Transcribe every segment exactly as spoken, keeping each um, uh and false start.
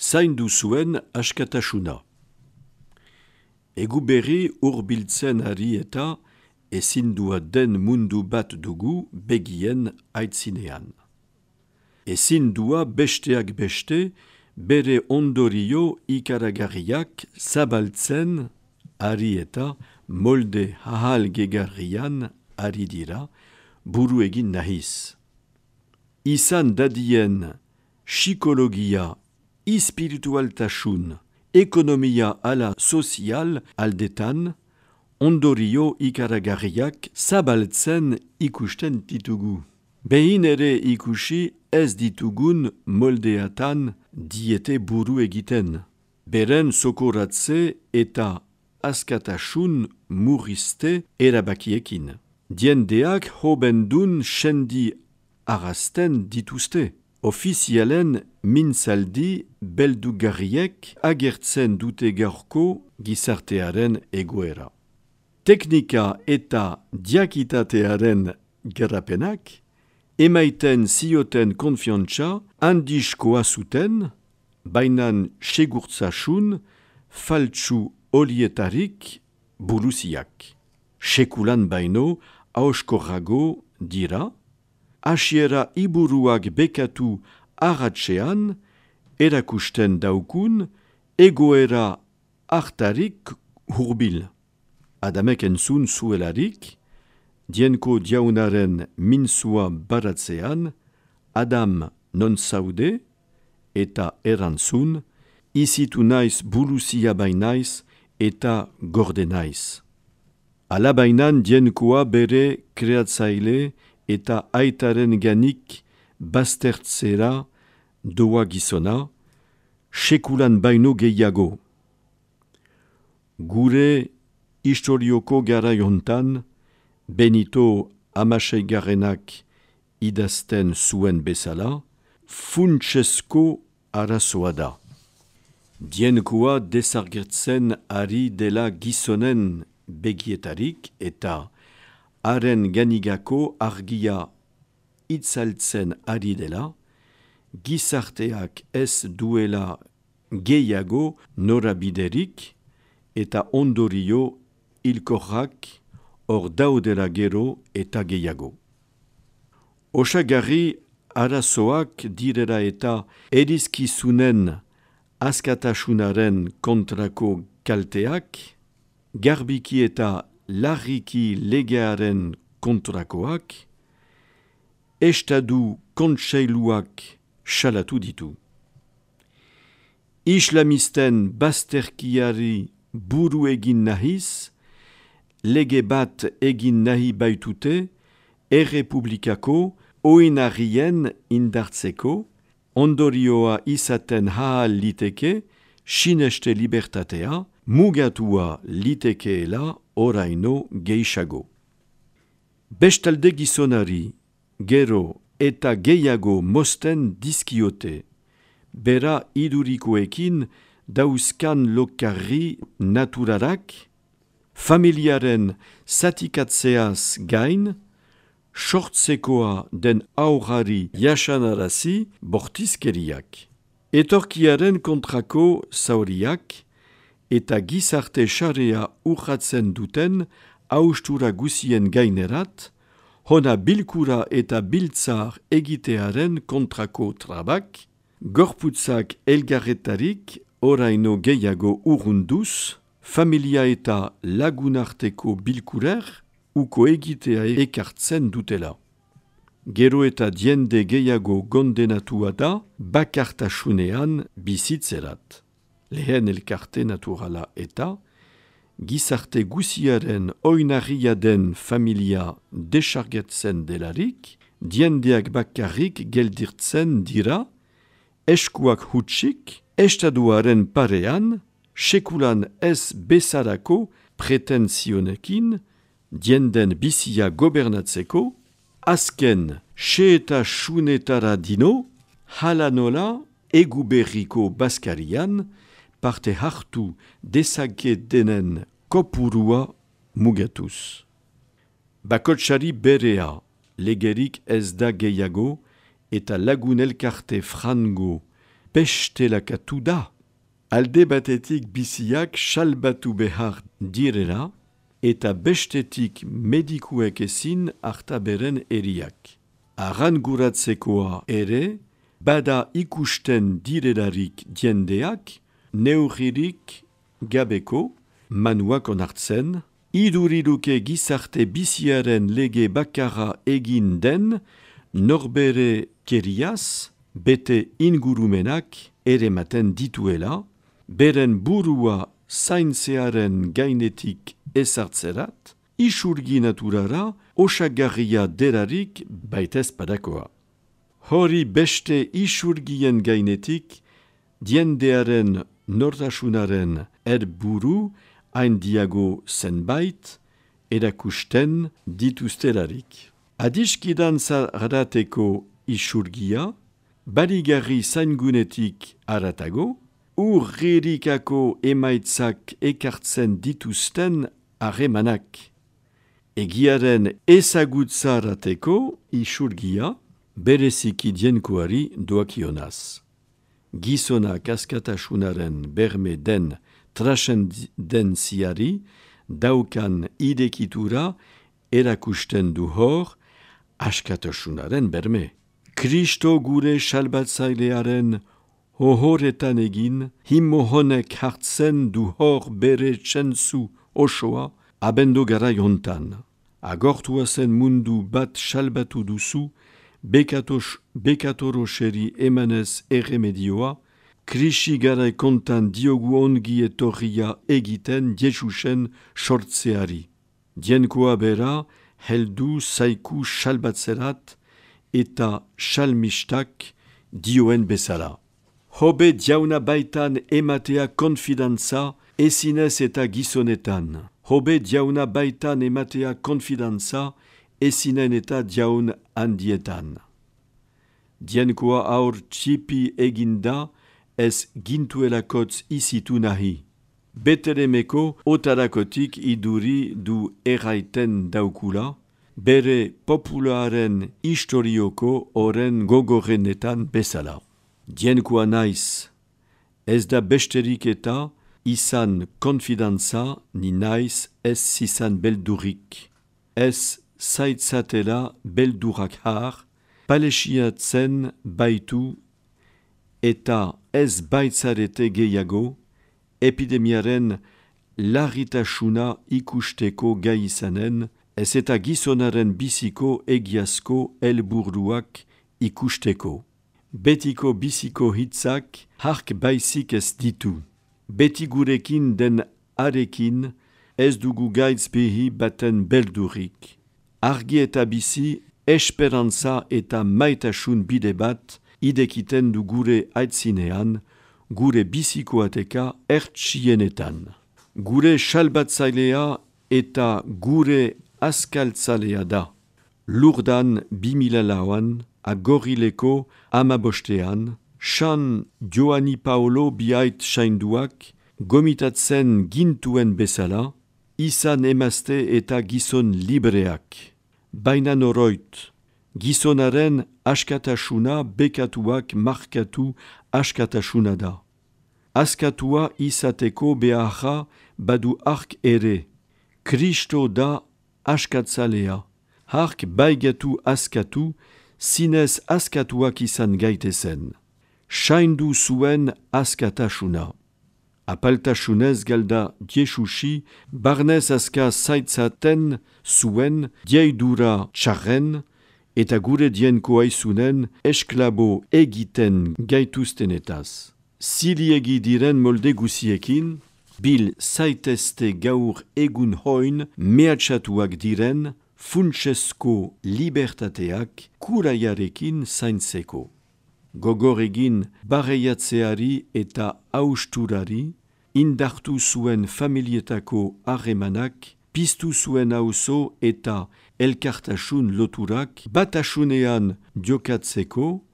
zaindu zuen askatasuna. Egu berri hurbiltzen ari eta ezindua den mundu bat dugu begien aitzinean. Ezindua besteak beste bere ondorio ikaragarriak zabaltzen ari eta molde hahal gegarrian ari dira buru egin nahiz. Izan dadien psikologia, ispiritualtasun, ekonomia ala sozial aldetan, ondorio ikaragarriak zabaltzen ikusten ditugu. Behin ere ikusi ez ditugun moldeatan diete buru egiten. Beren sokoratze eta askatasun murrizte erabakiekin. Diendeak hobendun sendi arrasten dituzte. Ofizialen mintzaldi beldugarriek agertzen dute gaurko gizartearen egoera. Teknika eta diakitatearen garapenak emaiten zioten konfiantza handizkoa zuten, bainan segurtzasun faltsu olietarik buruziak. Sekulan baino auskorrago dira, hasiera iburuak bekatu arratsean erakusten daukun egoera hartarik hurbil. Adamek entzun zuelarik, dienko diaunaren minzua baratzean, Adam non zaude eta erantzun, izitu naiz buluzia bainaiz eta gorde naiz. Alabainan dienkoa bere kreatzaile eta aitaren ganik baztertzera doa gizona, sekulan baino gehiago. Gure historioko garaiontan, Benito Hamaseigarrenak idazten zuen bezala, funtsesko arazoa da. Dienkoa desargertzen ari dela gizonen begietarik eta haren ganigako argia itzaltzen ari dela, gizarteak ez duela gehiago norabiderik eta ondorio hilkorrak hor daudela gero eta gehiago. Osagarri arazoak direla eta erizkizunen askatasunaren kontrako kalteak, garbiki eta larriki legearen kontrakoak, estadu kontseiluak salatu ditu. Islamisten bazterkiari buru egin nahiz, lege bat egin nahi baitute, errepublikako oinarrien indartzeko, ondorioa izaten hahal liteke, sineste libertatea, mugatua litekeela oraino gehiago. Bestalde gizonari, gero eta gehiago mosten dizkiote, bera idurikoekin dauzkan lokarri naturarak, familiaren zatikatzeaz gain, sortzekoa den aurrari jasanarazi bortizkeriak. Etorkiaren kontrako zauriak eta gizarte xarea urratzen duten haustura guzien gainerat, hona bilkura eta biltzar egitearen kontrako trabak, gorputzak elgarretarik oraino gehiago urrunduz, familia eta lagunarteko bilkurer, uko egitea ekartzen dutela. Gero eta diende gehiago gondenatua da bakartasunean bizitzerat. Lehen elkarte naturala eta gizarte guziaren oinarria den familia desargetzen delarik, diendeak bakarrik geldirtzen dira, eskuak hutsik, estaduaren parean, sekulan ez bezarako pretenzionekin, dienden bizia gobernatzeko, azken xe eta xunetara dino, hala nola eguberriko baskarian, parte hartu dezake denen kopurua mugatuz. Bakotsari berea, legerik ez da gehiago, eta lagun elkarte frango bestelakatu da. Alde batetik biziak salbatu behar direla, eta bestetik medikuek ezin harta beren eriak. Arranguratzekoa ere, bada ikusten direlarik diendeak, neurririk gabeko, manuak onartzen, iduriruke gizarte biziaren lege bakarra egin den, norbere keriaz, bete ingurumenak ere maten dituela, beren burua zaintzearen gainetik ezartzerat, isurgi naturara osagarria derarik baitez padakoa. Hori beste isurgien gainetik, diendearen nortasunaren erburu haindiago zenbait erakusten dituztelarik. Adiskidan zarateko isurgia, baligarri zaingunetik aratago, urririkako emaitzak ekartzen dituzten harremanak. Egiaren ezagutzarateko isurgia, bereziki dienkoari doakionaz. Gizonak askatasunaren berme den trascendentziari daukan idekitura erakusten du hor askatasunaren berme. Kristo gure salbatzailearen hohoretan egin, himo honek hartzen du hor bere txentzu osoa abendo gara jontan. Agortua zen mundu bat salbatu duzu, bekatos, bekatoroxeri emanez erremedioa, krisi gara kontan diogu ongi etorria egiten Jesusen sortzeari. Dienkoa bera, heldu zaiku salbatzerat eta salmistak dioen bezala. Hobe diauna baitan ematea konfidantza ezinez eta gizonetan. Hobe diauna baitan ematea konfidantza ezinen eta diaun handietan. Dienkoa aur txipi eginda ez gintuelakotz izitu nahi. Betelemeko otarakotik iduri du erraiten daukula, bere popularen historioko oren gogorenetan bezala. Dienkoa naiz, ez da besterik eta izan konfidantza ni naiz ez izan beldurik. Ez zaitzatela beldurak har, palesiatzen baitu eta ez baitzarete gehiago, epidemiaren larritasuna ikusteko gai izanen, ez eta gizonaren biziko egiazko helburuak ikusteko. Betiko biziko hitzak hark baizik ez ditu. Beti gurekin den arekin ez dugu gaitz behi baten beldurik. Argi eta bizi, esperantza eta maitasun bide bat idekiten du gure aitzinean, gure bizikoateka ertsienetan. Gure salbatzailea eta gure askaltzalea da. Lurdan bimila lauan, agorileko amabostean, San Joani Paolo biait sainduak, gomitatzen gintuen bezala, izan emazte eta gizon libreak. Baina noroit, gizonaren askatasuna bekatuak markatu askatasuna da. Askatua izateko beharra badu ark ere. Kristo da askatzalea. Hark baigatu askatu, zinez askatuak izan gaitezen. Saindu zuen askatasuna. Apaltasunez galda Jesusi, barnez aska zaitzaten zuen dieidura txarren, eta gure dienko aizunen esklabo egiten gaituztenetaz. Ziliegi diren molde guziekin, bil zaitezte gaur egun hoin mehatxatuak diren, funtsesko libertateak kuraiarekin zaintzeko. Gogor egin barreiatzeari eta austurari, indartu zuen familietako harremanak, piztu zuen auzo eta elkartasun loturak, batasunean jokatzeko,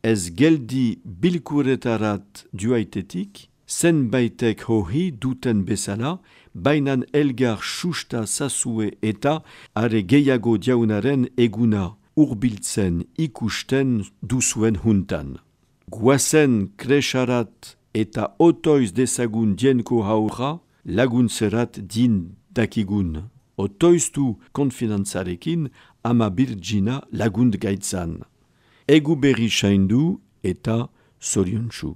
ez geldi bilkuretarat duaitetik, zenbaitek hohi duten bezala, bainan elgar susta zazue eta are gehiago diaunaren eguna urbiltzen ikusten duzuen huntan. guazen kresarat eta otoiz dezagun dienko haura laguntzerat din dakigun. Otoiztu konfinantzarekin ama birgina lagunt gaitzan. Egu berri saindu eta zoriontsu.